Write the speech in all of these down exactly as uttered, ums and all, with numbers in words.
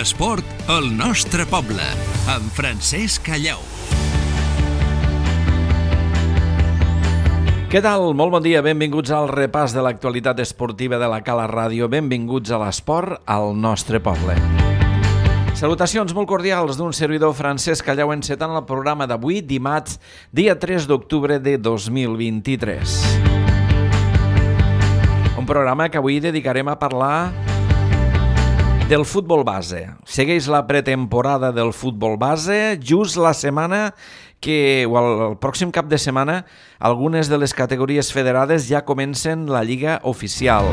L'esport al nostre poble, amb Francesc Callau. Què tal? Molt bon dia, benvinguts al repàs de l'actualitat esportiva de la Cala Ràdio, benvinguts a l'esport al nostre poble. Salutacions molt cordials d'un servidor Francesc Callau encetant el programa d'avui, dimarts, dia tres d'octubre de dos mil vint-i-tres. Un programa que avui dedicarem a parlar del futbol base. Segueix la pretemporada del futbol base, just la setmana que, o el, el pròxim cap de setmana, algunes de les categories federades ja comencen la lliga oficial.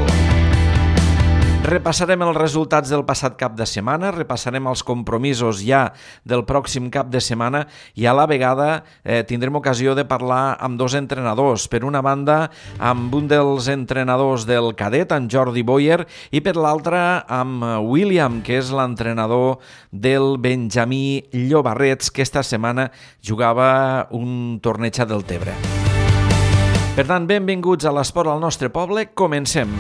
Repassarem els resultats del passat cap de setmana, repassarem els compromisos ja del pròxim cap de setmana i a la vegada eh, tindrem ocasió de parlar amb dos entrenadors. Per una banda, amb un dels entrenadors del cadet, en Jordi Boyer, i per l'altra amb William, que és l'entrenador del Benjamí Llobarrets, que esta setmana jugava un torneig a Deltebre. Per tant, benvinguts a l'esport al nostre poble. Comencem.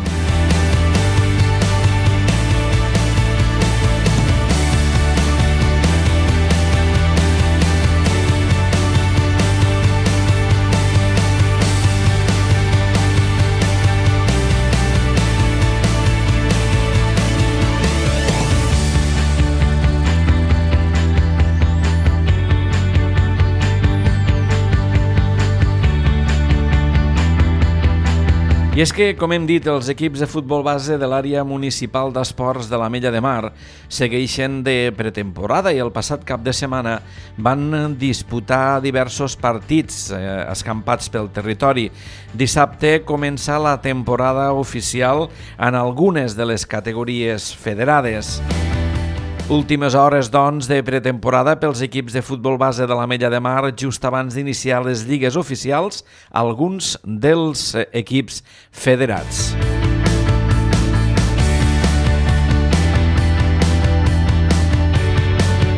I és que, com hem dit, els equips de futbol base de l'àrea municipal d'esports de l'Ametlla de Mar segueixen de pretemporada i el passat cap de setmana van disputar diversos partits eh, escampats pel territori. Dissabte comença la temporada oficial en algunes de les categories federades. Últimes hores, doncs, de pretemporada pels equips de futbol base de l'Ametlla de Mar just abans d'iniciar les lligues oficials, alguns dels equips federats.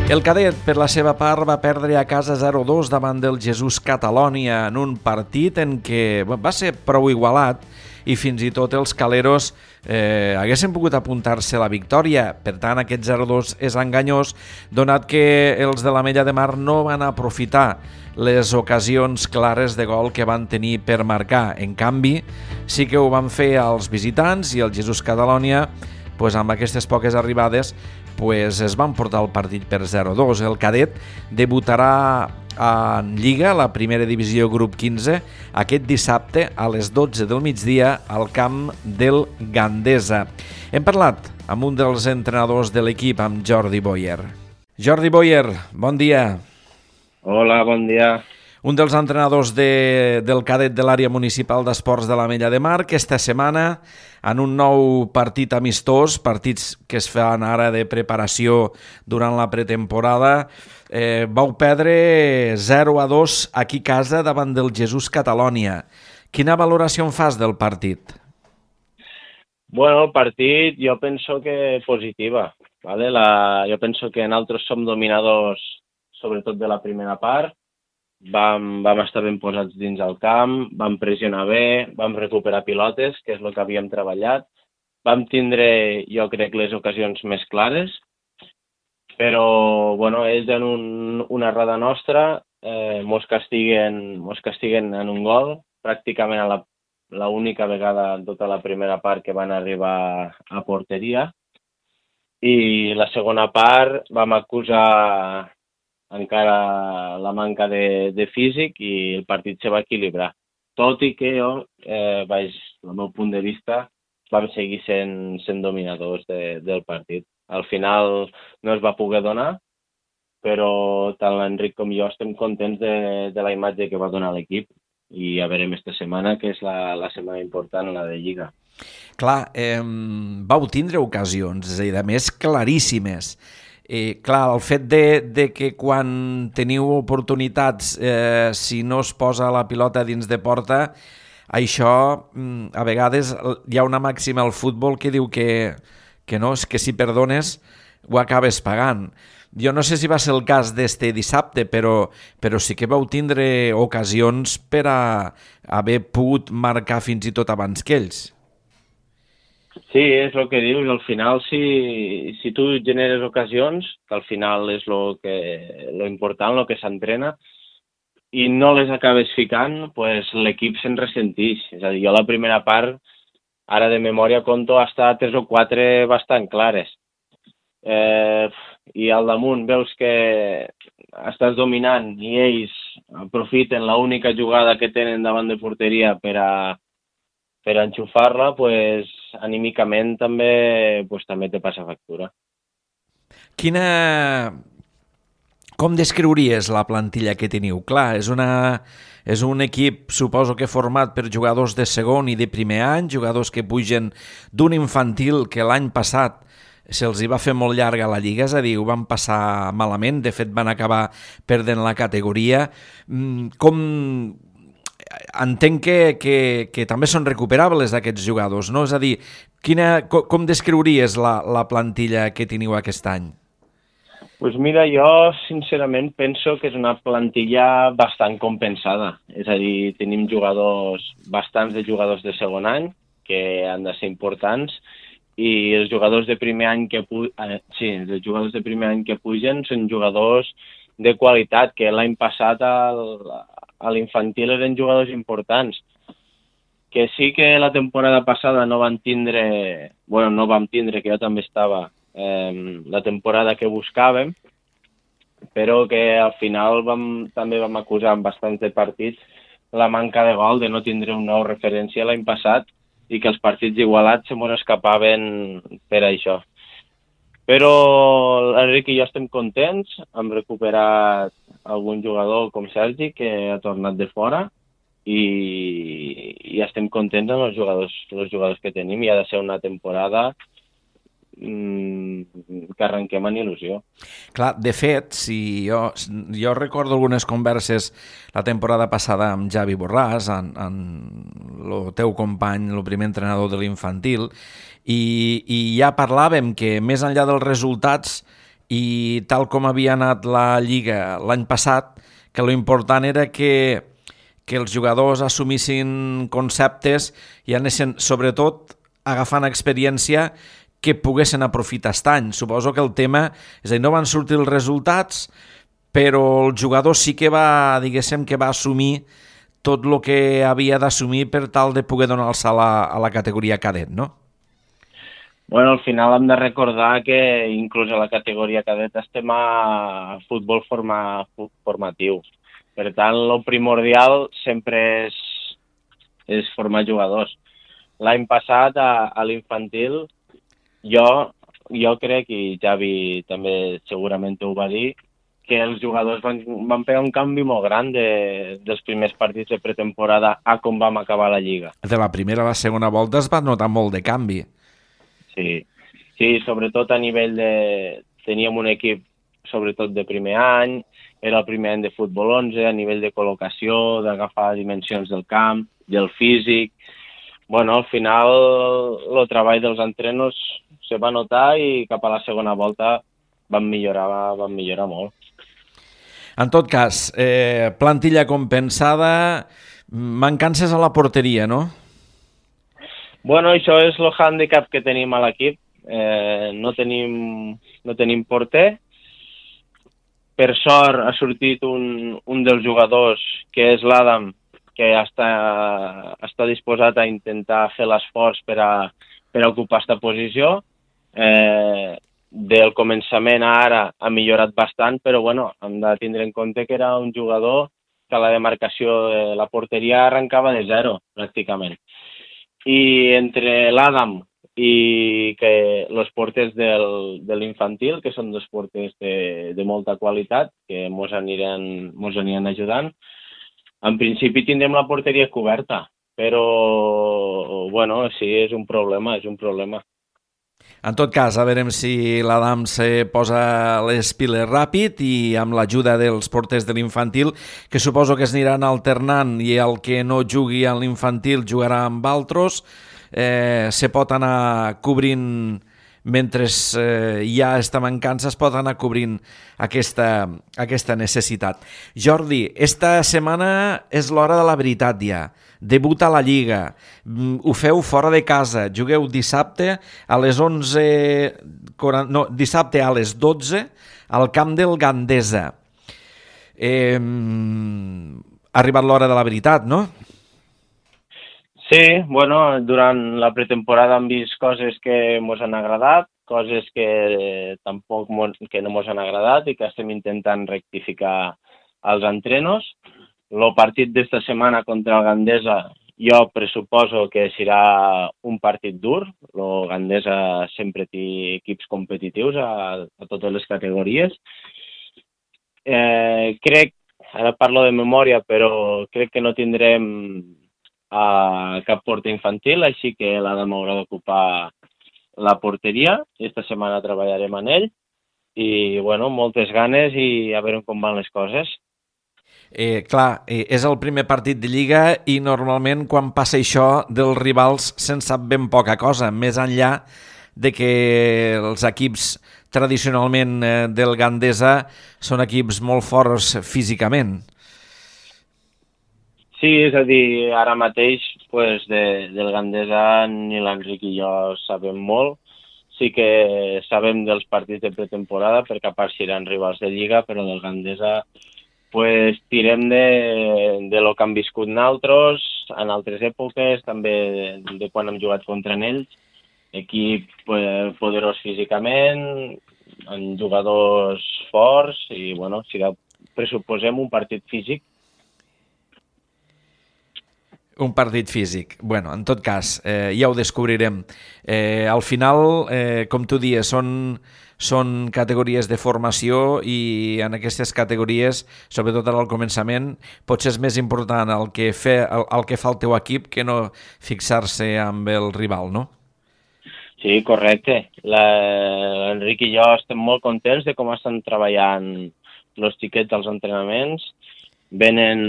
El cadet, per la seva part, va perdre a casa zero a dos davant del Jesús Catalònia en un partit en què va ser prou igualat i fins i tot els caleros eh, haguessin pogut apuntar-se a la victòria. Per tant, aquest zero a dos és enganyós, donat que els de l'Ametlla de Mar no van aprofitar les ocasions clares de gol que van tenir per marcar. En canvi, sí que ho van fer als visitants i el Jesús Catalònia, pues, amb aquestes poques arribades, pues, es van portar el partit per zero a dos. El cadet debutarà en Lliga, la primera divisió grup quinze, aquest dissabte a les dotze del migdia al camp del Gandesa. Hem parlat amb un dels entrenadors de l'equip, amb Jordi Boyer. Jordi Boyer, bon dia. Hola, bon dia. Un dels entrenadors de, del cadet de l'àrea municipal d'esports de l'Ametlla de Mar, que esta setmana, en un nou partit amistós, partits que es fan ara de preparació durant la pretemporada, eh, vau perdre zero a dos aquí a casa davant del Jesús Catalònia. Quina valoració en fas del partit? Bueno, el partit jo penso que positiva. ¿vale? La, jo penso que nosaltres som dominadors sobretot de la primera part. Vam, vam estar ben posats dins el camp, vam pressionar bé, vam recuperar pilotes, que és el que havíem treballat. Vam tindre, jo crec, les ocasions més clares, però bueno, ells en un, una errada nostra eh, mos castiguen, mos castiguen en un gol, pràcticament a la, la única vegada en tota la primera part que van arribar a porteria. I la segona part vam acusar encara la manca de, de físic i el partit se va equilibrar. Tot i que jo, eh, vaig, del meu punt de vista, vam seguir sent, sent dominadors de, del partit. Al final no es va poder donar, però tant l'Enric com jo estem contents de, de la imatge que va donar l'equip i ja veurem esta setmana, que és la, la setmana important, la de Lliga. Clar, eh, vau tindre ocasions, és a dir, a més claríssimes. Eh, clar, el fet de, de que quan teniu oportunitats, eh, si no es posa la pilota dins de porta, això, a vegades hi ha una màxima al futbol que diu que, que no, és que si perdones ho acabes pagant. Jo no sé si va ser el cas d'este dissabte, però, però sí que vau tindre ocasions per a haver pogut marcar fins i tot abans que ells. Sí, és el que dius, al final si, si tu generes ocasions, que al final és lo, que, lo important, el que s'entrena, i no les acabes ficant, pues l'equip se'n ressentix. És a dir, jo la primera part, ara de memòria conto hasta tres o quatre bastant clares. Eh, I al damunt veus que estàs dominant i ells aprofiten l'única jugada que tenen davant de porteria per a, per a enxufar-la, pues, anímicament també, pues, també te passa factura. Quina... Com descriuries la plantilla que teniu? Clar, és, una, és un equip, suposo que format per jugadors de segon i de primer any, jugadors que pugen d'un infantil que l'any passat se'ls hi va fer molt llarga la Lliga, és a dir, ho van passar malament, de fet van acabar perdent la categoria. Com... Entenc que, que, que també són recuperables aquests jugadors, no? És a dir, quina, com, com descriuries la, la plantilla que teniu aquest any? Pues mira, jo sincerament penso que és una plantilla bastant compensada. És a dir, tenim jugadors, bastants de jugadors de segon any, que han de ser importants, i els jugadors de primer any que pu eh, sí, els jugadors de primer any que pugen són jugadors de qualitat, que l'any passat al, a l'infantil eren jugadors importants. Que sí que la temporada passada no van tindre, bueno, no vam tindre, que jo també estava, eh, la temporada que buscàvem, però que al final vam, també vam acusar en bastants de partits la manca de gol, de no tindre una nova referència l'any passat, i que els partits igualats se mos escapaven per això. Però l'Enric i jo estem contents, hem recuperat algun jugador com Sergi, que ha tornat de fora, i, i estem contents amb els jugadors, els jugadors que tenim, i ha de ser una temporada que arrenquem en il·lusió. Clar, de fet, si jo, jo recordo algunes converses la temporada passada amb Javi Borràs, en, en el teu company, el primer entrenador de l'infantil, i, i ja parlàvem que més enllà dels resultats i tal com havia anat la Lliga l'any passat, que lo important era que, que els jugadors assumissin conceptes i anessin, sobretot, agafant experiència que poguessin aprofitar aquest any. Suposo que el tema, és a dir, no van sortir els resultats, però el jugador sí que va, diguéssim, que va assumir tot el que havia d'assumir per tal de poder donar el salt a, a la categoria cadet, no? Bueno, al final hem de recordar que inclús a la categoria cadet estem a futbol forma, formatiu. Per tant, el primordial sempre és, és formar jugadors. L'any passat, a, a l'infantil, Jo, jo crec, i Javi també segurament ho va dir, que els jugadors van, van pegar un canvi molt gran de, dels primers partits de pretemporada a com vam acabar la Lliga. De la primera a la segona volta es va notar molt de canvi. Sí, sí, sobretot a nivell de... Teníem un equip sobretot de primer any, era el primer any de futbol onze, a nivell de col·locació, d'agafar dimensions del camp, del físic. Bueno, al final el treball dels entrenos se va notar i cap a la segona volta van millorar, van millorar molt. En tot cas, eh, plantilla compensada, mancances a la porteria, no? Bueno, això és el hàndicap que tenim a l'equip. Eh, no tenim, no tenim porter. Per sort ha sortit un, un dels jugadors, que és l'Adam, que està, està disposat a intentar fer l'esforç per a, per a ocupar aquesta posició. Eh, del començament a ara ha millorat bastant, però bueno, hem de tindre en compte que era un jugador que la demarcació de la porteria arrencava de zero, pràcticament. I entre l'Adam i que els porters del, de l'infantil, que són dos porters de, de molta qualitat, que mos aniran, mos aniran ajudant, en principi tindrem la porteria coberta, però, bueno, sí, és un problema, és un problema. En tot cas, a veurem si l'Adam se posa les piles ràpid i amb l'ajuda dels porters de l'infantil, que suposo que es aniran alternant i el que no jugui a l'infantil jugarà amb altres, eh, se pot anar cobrint mentre eh, hi ha aquesta mancança es pot anar cobrint aquesta, aquesta necessitat. Jordi, esta setmana és l'hora de la veritat ja. Debuta a la Lliga, ho feu fora de casa, jugueu dissabte a les onze, no, dissabte a les dotze al camp del Gandesa. Eh, ha arribat l'hora de la veritat, no? Sí, bueno, durant la pretemporada hem vist coses que ens han agradat, coses que tampoc mos, que no ens han agradat i que estem intentant rectificar als entrenos. El partit d'esta setmana contra el Gandesa jo pressuposo que serà un partit dur. El Gandesa sempre té equips competitius a, a totes les categories. Eh, crec, ara parlo de memòria, però crec que no tindrem a cap porter infantil, així que l'Adam haurà d'ocupar la porteria. Esta setmana treballarem en ell i, bueno, moltes ganes i a veure com van les coses. Eh, clar, eh, és el primer partit de Lliga i normalment quan passa això dels rivals se'n sap ben poca cosa, més enllà de que els equips tradicionalment eh, del Gandesa són equips molt forts físicament. Sí, és a dir, ara mateix pues, de, del Gandesa ni l'Enric i jo sabem molt. Sí que sabem dels partits de pretemporada perquè a part seran rivals de Lliga, però del Gandesa pues, tirem de, de lo que han viscut nosaltres en altres èpoques, també de, de quan hem jugat contra ells. Equip pues, poderós físicament, amb jugadors forts i bueno, serà, pressuposem un partit físic. Un partit físic. Bueno, en tot cas, eh, ja ho descobrirem. Eh, al final, eh, com tu dies, són, són categories de formació i en aquestes categories, sobretot ara al començament, potser és més important el que, fe, el, el que fa el teu equip que no fixar-se amb el rival, no? Sí, correcte. L'Enric i jo estem molt contents de com estan treballant els xiquets als entrenaments. Venen,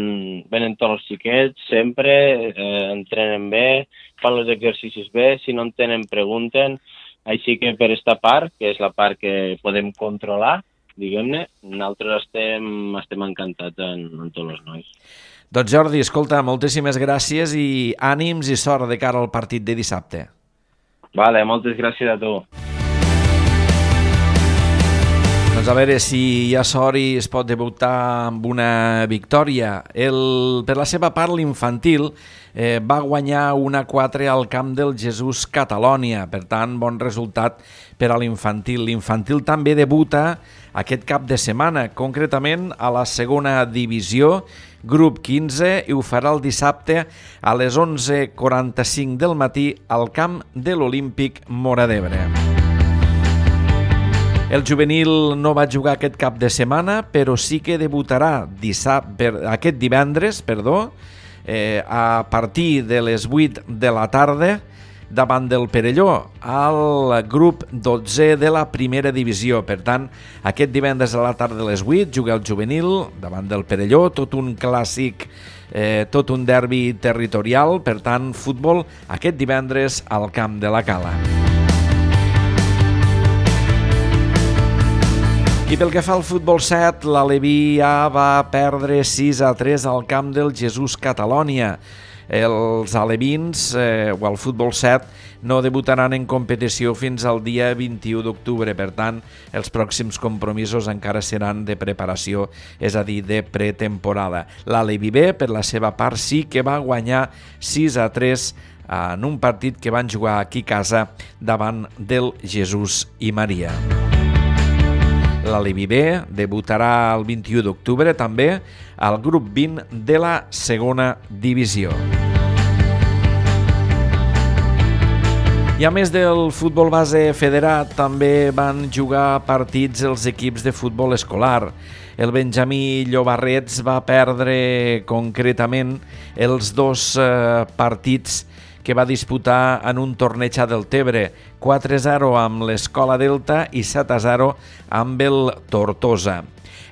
venen tots els xiquets, sempre, eh, entrenen bé, fan els exercicis bé, si no en tenen pregunten, així que per esta part, que és la part que podem controlar, diguem-ne, nosaltres estem, estem encantats en, en tots els nois. Doncs Jordi, escolta, moltíssimes gràcies i ànims i sort de cara al partit de dissabte. Vale, moltes gràcies a tu. Doncs a veure si hi ha sort i es pot debutar amb una victòria. El, per la seva part, l'infantil eh, va guanyar un a quatre al camp del Jesús Catalònia. Per tant, bon resultat per a l'infantil. L'infantil també debuta aquest cap de setmana, concretament a la segona divisió, grup quinze, i ho farà el dissabte a les onze quaranta-cinc del matí al camp de l'Olímpic Móra d'Ebre. El juvenil no va jugar aquest cap de setmana, però sí que debutarà dissabte, aquest divendres perdó, eh, a partir de les vuit de la tarda davant del Perelló, al grup dotze de la primera divisió. Per tant, aquest divendres a la tarda a les vuit juga el juvenil davant del Perelló, tot un clàssic, eh, tot un derbi territorial, per tant, futbol aquest divendres al camp de la Cala. I pel que fa al futbol set, l'Aleví A va perdre sis a tres al camp del Jesús Catalònia. Els alevins, eh, o el futbol set, no debutaran en competició fins al dia vint-i-u d'octubre. Per tant, els pròxims compromisos encara seran de preparació, és a dir, de pretemporada. L'Aleví B, per la seva part, sí que va guanyar sis a tres en un partit que van jugar aquí a casa davant del Jesús i Maria. L'Aleví B debutarà el vint-i-u d'octubre també al grup vint de la segona divisió. I a més del futbol base federat, també van jugar partits els equips de futbol escolar. El Benjamí Llobarrets va perdre concretament els dos eh, partits que va disputar en un torneig a Deltebre, quatre a zero amb l'Escola Delta i set a zero amb el Tortosa.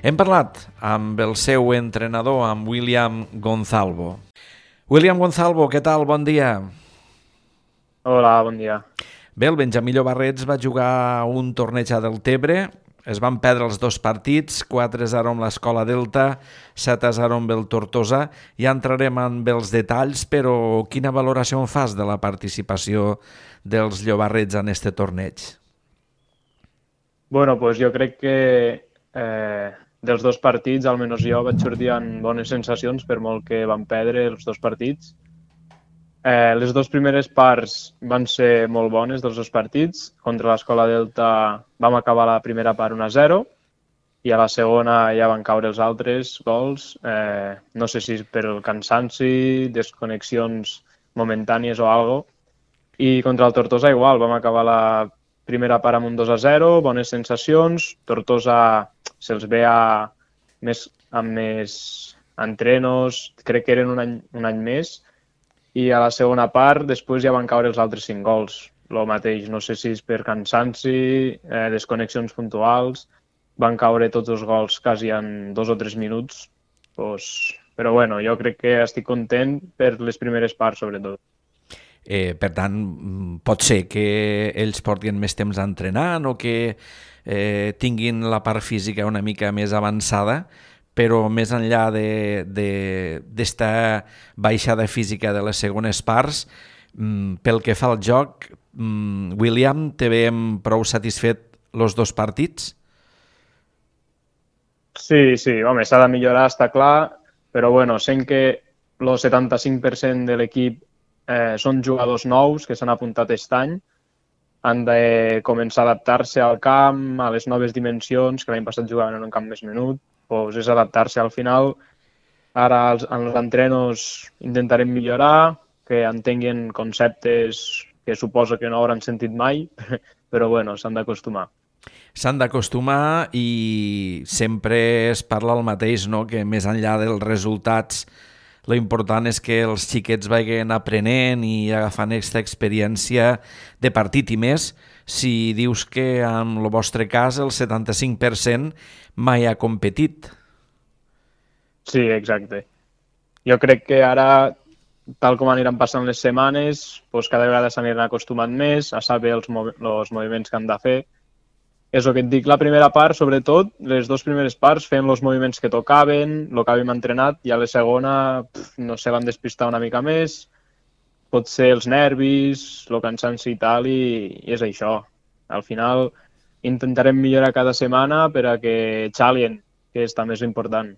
Hem parlat amb el seu entrenador, amb William Gonzalvo. William Gonzalvo, què tal? Bon dia. Hola, bon dia. Bé, el Benjamí Llobarrets va jugar un torneig a Deltebre, es van perdre els dos partits, quatre a zero amb l'Escola Delta, set a zero amb el Tortosa. Ja entrarem amb els detalls, però quina valoració en fas de la participació dels Llobarrets en este torneig? Bueno, pues jo crec que eh, dels dos partits, almenys jo vaig sortir amb bones sensacions, per molt que van perdre els dos partits. Eh, les dues primeres parts van ser molt bones dels dos partits. Contra l'Escola Delta vam acabar la primera part un a zero i a la segona ja van caure els altres gols. Eh, no sé si per el cansanci, desconnexions momentànies o algo. I contra el Tortosa igual, vam acabar la primera part amb un dos a zero, bones sensacions. Tortosa se'ls ve a més, amb més entrenos, crec que eren un any, un any més. I a la segona part, després ja van caure els altres cinc gols. Lo mateix, no sé si és per cansanci, eh, desconnexions puntuals, van caure tots els gols quasi en dos o tres minuts. Pues, però bueno, jo crec que estic content per les primeres parts, sobretot. Eh, per tant, pot ser que ells portin més temps entrenant o que eh, tinguin la part física una mica més avançada, però més enllà d'esta baixada física de les segones parts, pel que fa al joc, William, te veiem prou satisfet els dos partits? Sí, sí, home, s'ha de millorar, està clar, però bueno, sent que el setanta-cinc per cent de l'equip eh, són jugadors nous que s'han apuntat aquest any, han de començar a adaptar-se al camp, a les noves dimensions, que l'any passat jugaven en un camp més menut, pues és adaptar-se al final. Ara als, en els entrenos intentarem millorar, que entenguin conceptes que suposo que no hauran sentit mai, però bueno, s'han d'acostumar. S'han d'acostumar i sempre es parla el mateix, no? Que més enllà dels resultats, lo important és que els xiquets vagin aprenent i agafant aquesta experiència de partit i més. Si dius que en el vostre cas el setanta-cinc per cent mai ha competit. Sí, exacte. Jo crec que ara, tal com aniran passant les setmanes, doncs cada vegada s'aniran acostumant més a saber els, mov els moviments que han de fer. És el que et dic, la primera part, sobretot, les dues primeres parts, fem els moviments que tocaven, el que havíem entrenat, i a la segona, pf, no sé, van despistar una mica més, pot ser els nervis, el cansanci i tal, i, i és això. Al final intentarem millorar cada setmana per a que xalien, que és també important.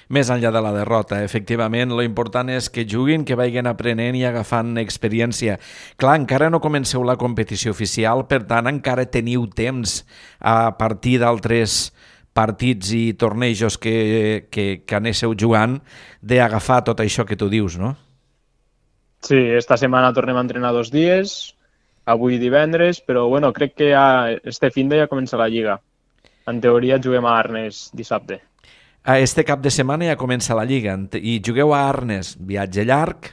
Més enllà de la derrota, efectivament, lo important és que juguin, que vagin aprenent i agafant experiència. Clar, encara no comenceu la competició oficial, per tant, encara teniu temps a partir d'altres partits i tornejos que, que, que anéssiu jugant d'agafar tot això que tu dius, no? Sí, esta setmana tornem a entrenar dos dies, avui divendres, però bueno, crec que ja, este fin de ja comença la Lliga. En teoria juguem a Arnes dissabte. Este cap de setmana ja comença la Lliga i jugueu a Arnes, viatge llarg.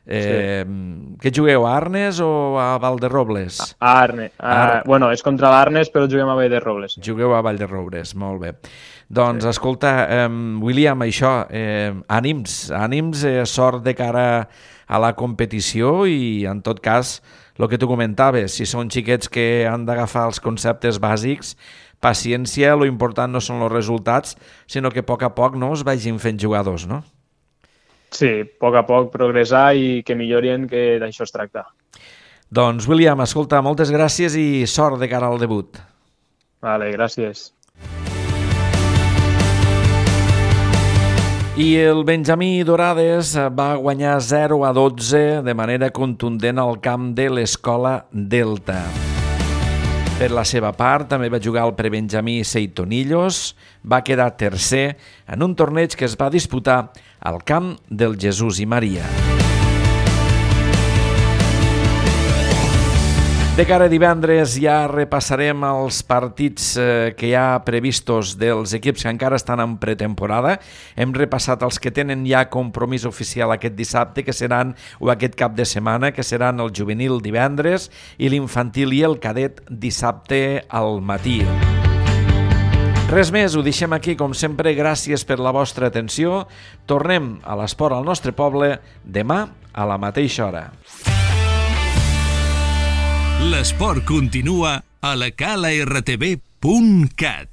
Eh, sí. Què jugueu, a Arnes o a Valderrobles? A Arnes. A, Ar... Bueno, és contra l'Arnes, però juguem a Valderrobles. Jugueu a Valderrobles, molt bé. Doncs, sí. Escolta, eh, William, això, eh, ànims, ànims, eh, sort de cara a la competició i, en tot cas, el que tu comentaves, si són xiquets que han d'agafar els conceptes bàsics, paciència, lo important no són els resultats, sinó que a poc a poc no es vagin fent jugadors, no? Sí, a poc a poc progressar i que millorin, que d'això es tracta. Doncs, William, escolta, moltes gràcies i sort de cara al debut. Vale, gràcies. I el Benjamí Dorades va guanyar zero a dotze de manera contundent al camp de l'Escola Delta. Per la seva part, també va jugar el prebenjamí Seitonillos, va quedar tercer en un torneig que es va disputar al camp del Jesús i Maria. De cara a divendres ja repassarem els partits eh, que hi ha previstos dels equips que encara estan en pretemporada. Hem repassat els que tenen ja compromís oficial aquest dissabte, que seran, o aquest cap de setmana, que seran el juvenil divendres i l'infantil i el cadet dissabte al matí. Res més, ho deixem aquí, com sempre, gràcies per la vostra atenció. Tornem a l'esport al nostre poble demà a la mateixa hora. L'esport continua a la cala r t v punt cat.